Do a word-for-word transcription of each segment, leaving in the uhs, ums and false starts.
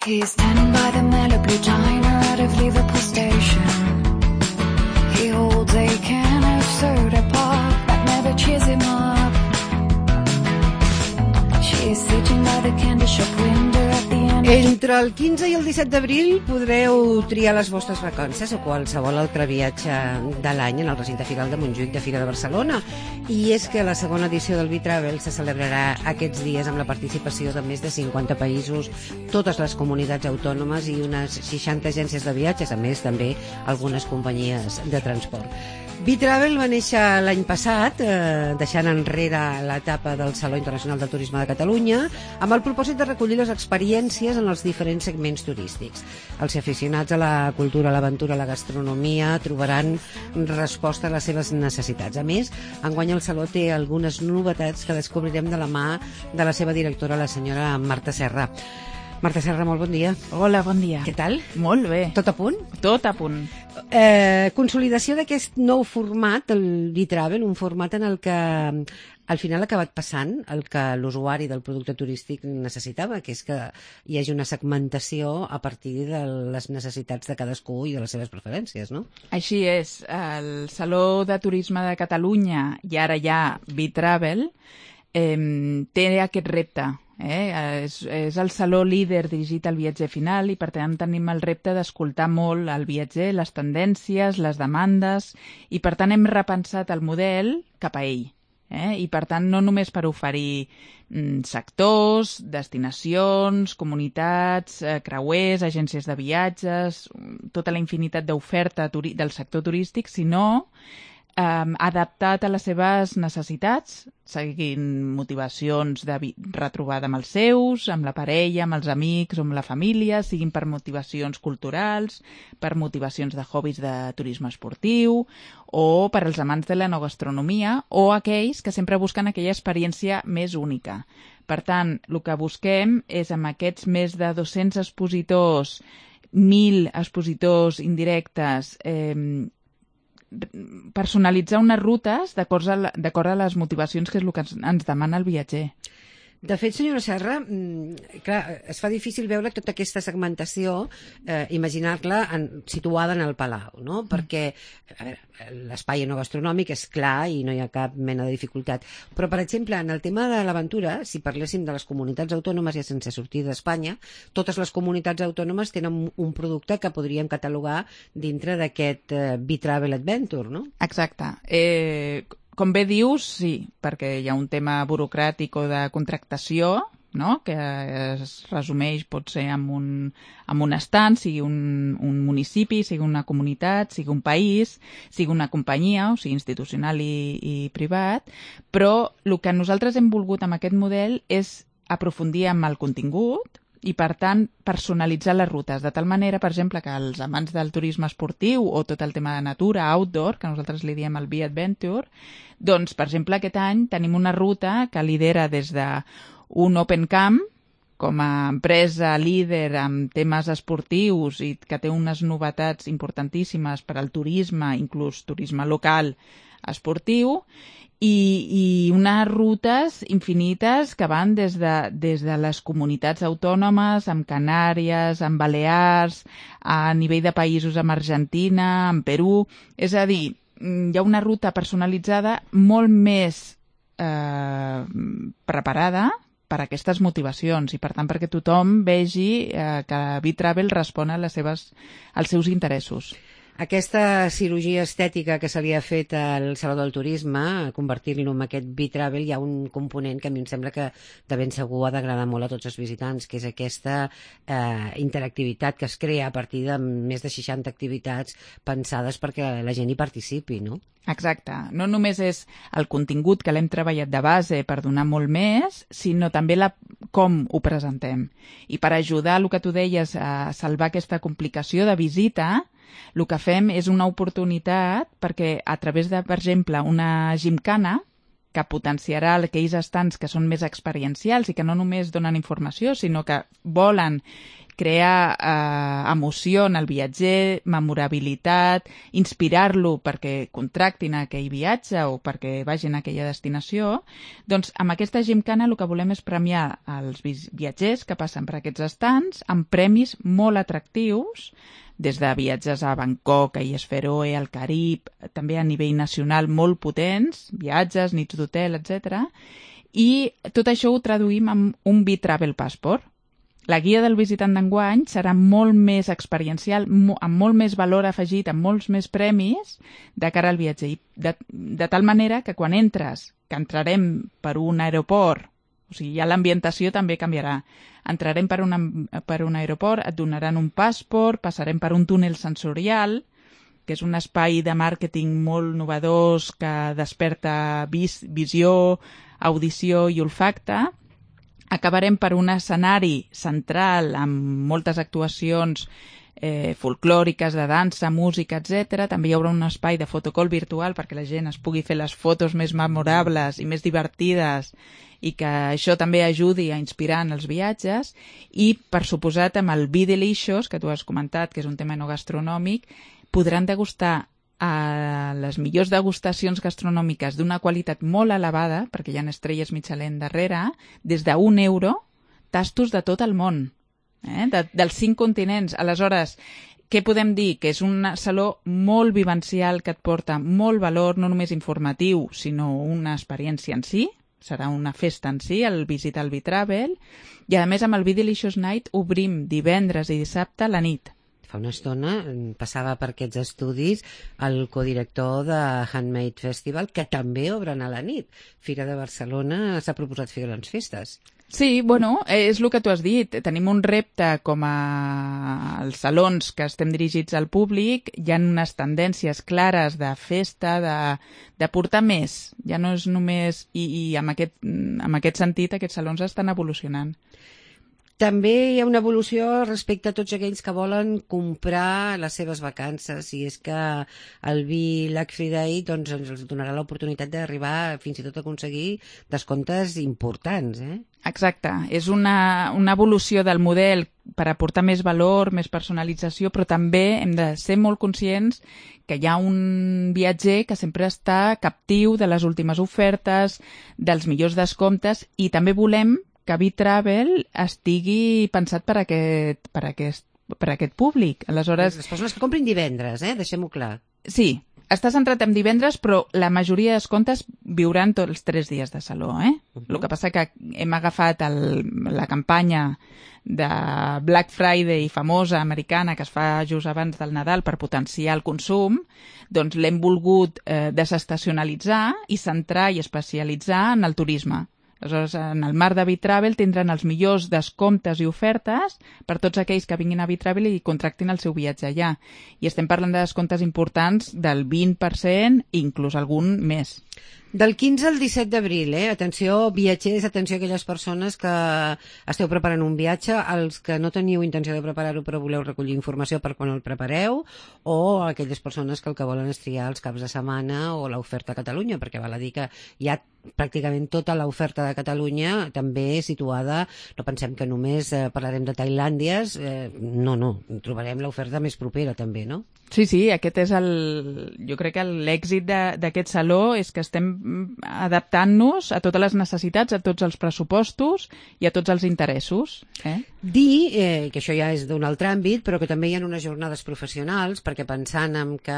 He's standing by the Malibu diner out of Liverpool station. He holds a can of soda pop that never cheers him up. She's sitting by the candy shop window at the end. Entre el quinze i el disset d'abril podreu triar les vostres vacances o qualsevol altre viatge de l'any en el recinte firal de Montjuïc de Fira de Barcelona. I és que la segona edició del B-Travel se celebrarà aquests dies amb la participació de més de cinquanta països, totes les comunitats autònomes i unes seixanta agències de viatges, a més també algunes companyies de transport. B-Travel va néixer l'any passat, eh, deixant enrere l'etapa del Saló Internacional del Turisme de Catalunya, amb el propòsit de recollir les experiències en els diferents segments turístics. Els aficionats a la cultura, a l'aventura, a la gastronomia trobaran resposta a les seves necessitats. A més, enguany el Saló té algunes novetats que descobrirem de la mà de la seva directora, la senyora Marta Serra. Marta Serra, molt bon dia. Hola, bon dia. Què tal? Molt bé. Tot a punt? Tot a punt. Eh, consolidació d'aquest nou format, el B-Travel, un format en el que al final ha acabat passant el que l'usuari del producte turístic necessitava, que és que hi hagi una segmentació a partir de les necessitats de cadascú i de les seves preferències, no? Així és. El Saló de Turisme de Catalunya, i ara ja B-Travel, eh, té aquest repte. Eh? És, és el saló líder dirigit al viatger final i per tant tenim el repte d'escoltar molt el viatger, les tendències, les demandes, i per tant hem repensat el model cap a ell. Eh? I per tant no només per oferir mm, sectors, destinacions, comunitats, eh, creuers, agències de viatges, tota la infinitat d'oferta turi- del sector turístic, sinó Um, adaptat a les seves necessitats, seguint motivacions de retrobada amb els seus, amb la parella, amb els amics o amb la família, siguin per motivacions culturals, per motivacions de hobbies de turisme esportiu o per als amants de la no gastronomia o aquells que sempre busquen aquella experiència més única. Per tant, el que busquem és amb aquests més de dos-cents expositors, mil expositors indirectes, eh, personalitzar unes rutes d'acord a, d'acord a les motivacions que és el que ens, ens demana el viatger. De fet, senyora Serra, clar, es fa difícil veure tota aquesta segmentació, eh, imaginar-la en, situada en el Palau, no? Perquè a veure, l'espai enogastronòmic és clar i no hi ha cap mena de dificultat. Però, per exemple, en el tema de l'aventura, si parléssim de les comunitats autònomes ja sense sortir d'Espanya, totes les comunitats autònomes tenen un producte que podríem catalogar dintre d'aquest eh, B-Travel Adventure, no? Exacte. Eh... Com bé dius, sí, perquè hi ha un tema burocràtic o de contractació, no?, que es resumeix, pot ser amb un, amb un estat, sigui un, un municipi, sigui una comunitat, sigui un país, sigui una companyia, o sigui institucional i, i privat, però el que nosaltres hem volgut amb aquest model és aprofundir amb el contingut i, per tant, personalitzar les rutes, de tal manera, per exemple, que els amants del turisme esportiu o tot el tema de natura, outdoor, que nosaltres li diem el B-Adventure, doncs, per exemple, aquest any tenim una ruta que lidera des d'un Open Camp, com a empresa líder en temes esportius i que té unes novetats importantíssimes per al turisme, inclús turisme local esportiu, i, i unes rutes infinites que van des de, des de les comunitats autònomes, amb Canàries, amb Balears, a nivell de països amb Argentina, amb Perú. És a dir, hi ha una ruta personalitzada molt més eh, preparada per a aquestes motivacions i, per tant, perquè tothom vegi eh, que B-Travel respon a les seves, als seus interessos. Aquesta cirurgia estètica que se li ha fet al Saló del Turisme, convertir-lo en aquest B-Travel, hi ha un component que a mi em sembla que de ben segur ha d'agradar molt a tots els visitants, que és aquesta eh, interactivitat que es crea a partir de més de seixanta activitats pensades perquè la gent hi participi, no? Exacte. No només és el contingut que l'hem treballat de base per donar molt més, sinó també la, com ho presentem. I per ajudar, el que tu deies, a salvar aquesta complicació de visita, el que fem és una oportunitat perquè a través de, per exemple, una gimcana que potenciarà aquells estants que són més experiencials i que no només donen informació, sinó que volen crear eh, emoció en el viatger, memorabilitat, inspirar-lo perquè contractin aquell viatge o perquè vagin a aquella destinació, doncs amb aquesta gimcana el que volem és premiar els viatgers que passen per aquests estants amb premis molt atractius, des de viatges a Bangkok, a Illes Feroe, al Carib, també a nivell nacional molt potents, viatges, nits d'hotel, etcètera. I tot això ho traduïm en un B-Travel Passport. La guia del visitant d'enguany serà molt més experiencial, amb molt més valor afegit, amb molts més premis de cara al viatger. De, de tal manera que quan entres, que entrarem per un aeroport, o sigui, ja l'ambientació també canviarà. Entrarem per, una, per un aeroport, et donaran un passaport, passarem per un túnel sensorial, que és un espai de màrqueting molt novedós que desperta vis, visió, audició i olfacte. Acabarem per un escenari central amb moltes actuacions eh, folclòriques, de dansa, música, etcètera. També hi haurà un espai de fotocall virtual perquè la gent es pugui fer les fotos més memorables i més divertides i que això també ajudi a inspirar en els viatges. I, per suposat, amb el Be Delicious, que tu has comentat, que és un tema no gastronòmic, podran degustar a les millors degustacions gastronòmiques d'una qualitat molt elevada, perquè hi ha estrelles Michelin darrere, des d'un euro, tastos de tot el món, eh? de, dels cinc continents. Aleshores, què podem dir? Que és un saló molt vivencial que et porta molt valor, no només informatiu, sinó una experiència en si. Serà una festa en si, el visitar el B-Travel. I, a més, amb el Be Delicious Night obrim divendres i dissabte a la nit. Fa una estona passava per aquests estudis el codirector de Handmade Festival, que també obren a la nit. Fira de Barcelona s'ha proposat fer grans festes. Sí, bueno, és el que tu has dit. Tenim un repte com a els salons que estem dirigits al públic. Hi ha unes tendències clares de festa, de, de portar més. Ja no és només... I, i en, aquest, en aquest sentit aquests salons estan evolucionant. També hi ha una evolució respecte a tots aquells que volen comprar les seves vacances, i és que el Be Luxury Day doncs, ens donarà l'oportunitat d'arribar fins i tot a aconseguir descomptes importants. Eh? Exacte, és una, una evolució del model per aportar més valor, més personalització, però també hem de ser molt conscients que hi ha un viatger que sempre està captiu de les últimes ofertes, dels millors descomptes, i també volem que B-Travel estigui pensat per aquest, per aquest, per aquest públic. Aleshores, les persones que comprin divendres, eh? Deixem-ho clar. Sí, està centrat en divendres, però la majoria de descomptes viuran tots els tres dies de saló. Eh? Uh-huh. El que passa que hem agafat el, la campanya de Black Friday famosa americana que es fa just abans del Nadal per potenciar el consum, doncs l'hem volgut eh, desestacionalitzar i centrar i especialitzar en el turisme. Aleshores, en el marc de B-Travel tindran els millors descomptes i ofertes per tots aquells que vinguin a B-Travel i contractin el seu viatge allà. I estem parlant de descomptes importants del vint per cent, inclús algun més. Del quinze al disset d'abril, eh? Atenció, viatgers, atenció a aquelles persones que esteu preparant un viatge, als que no teniu intenció de preparar-ho però voleu recollir informació per quan el prepareu, o a aquelles persones que el que volen és triar els caps de setmana o l'oferta a Catalunya, perquè val a dir que hi ha pràcticament tota l'oferta de Catalunya també situada, no pensem que només eh, parlarem de Tailàndies, eh, no, no, trobarem l'oferta més propera també, no? Sí, sí, aquest és el... Jo crec que l'èxit d'aquest saló és que estem adaptant-nos a totes les necessitats, a tots els pressupostos i a tots els interessos. Eh? Dir, eh, que això ja és d'un altre àmbit, però que també hi ha unes jornades professionals, perquè pensant en que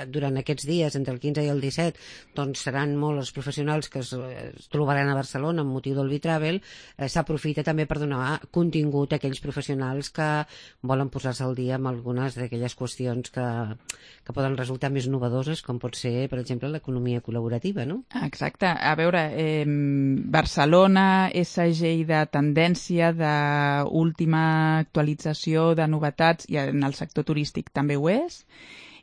durant aquests dies, entre el quinze i el disset, doncs seran molts els professionals que es, es trobaran a Barcelona amb motiu del B-Travel, eh, s'aprofita també per donar contingut a aquells professionals que volen posar-se al dia amb algunes d'aquelles qüestions que, que poden resultar més novedoses, com pot ser, per exemple, l'economia col·laborativa, no? Exacte. A veure, eh, Barcelona és segell de tendència, d'última actualització de novetats, i en el sector turístic també ho és,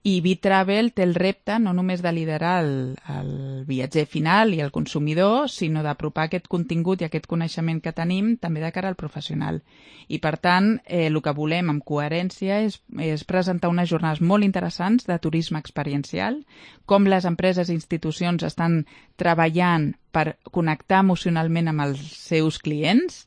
i B-Travel té el repte no només de liderar el, el viatger final i el consumidor, sinó d'apropar aquest contingut i aquest coneixement que tenim també de cara al professional. I, per tant, eh, el que volem amb coherència és, és presentar unes jornades molt interessants de turisme experiencial, com les empreses i institucions estan treballant per connectar emocionalment amb els seus clients,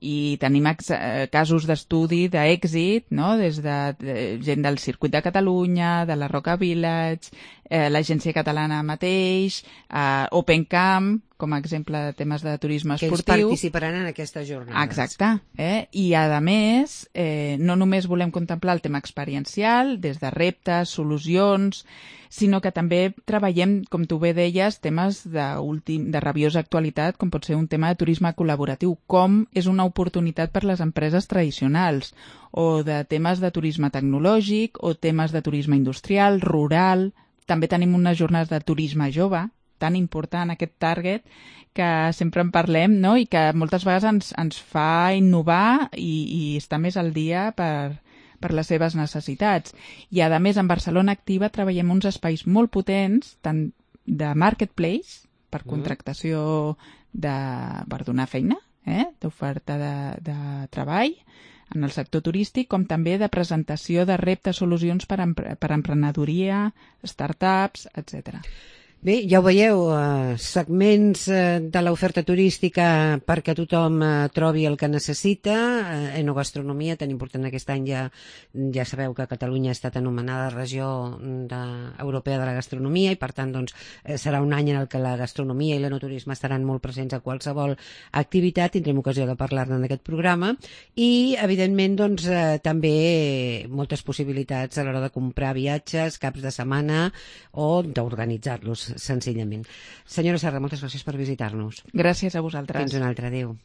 i tenim ex casos d'estudi d'èxit, no? Des de, de gent del Circuit de Catalunya, de la Roca Village, eh, l'Agència Catalana mateix, eh, Open Camp, com a exemple de temes de turisme que esportiu. Que ells participaran en aquestes jornades. Exacte. Eh? I, a més, eh, no només volem contemplar el tema experiencial, des de reptes, solucions, sinó que també treballem, com tu bé deies, temes de, últim, de rabiosa actualitat, com pot ser un tema de turisme col·laboratiu, com és una oportunitat per les empreses tradicionals, o de temes de turisme tecnològic, o temes de turisme industrial, rural. També tenim unes jornades de turisme jove, tan important aquest target, que sempre en parlem, no? I que moltes vegades ens, ens fa innovar i, i estar més al dia per, per les seves necessitats. I, a més, en Barcelona Activa treballem uns espais molt potents, tant de marketplace, per contractació de, per donar feina, eh? d'oferta de, de treball en el sector turístic, com també de presentació de reptes, solucions per, empre per emprenedoria, startups, etcètera. Bé, ja ho veieu, eh, segments eh, de l'oferta turística perquè tothom eh, trobi el que necessita. Eh, enogastronomia, tan important aquest any, ja, ja sabeu que Catalunya ha estat anomenada regió de, europea de la gastronomia i per tant doncs, eh, serà un any en el que la gastronomia i l'enoturisme estaran molt presents a qualsevol activitat. Tindrem ocasió de parlar-ne en aquest programa i, evidentment, doncs, eh, també moltes possibilitats a l'hora de comprar viatges, caps de setmana o d'organitzar-los senzillament. Senyora Serra, moltes gràcies per visitar-nos. Gràcies a vosaltres. Fins un altre. Adéu.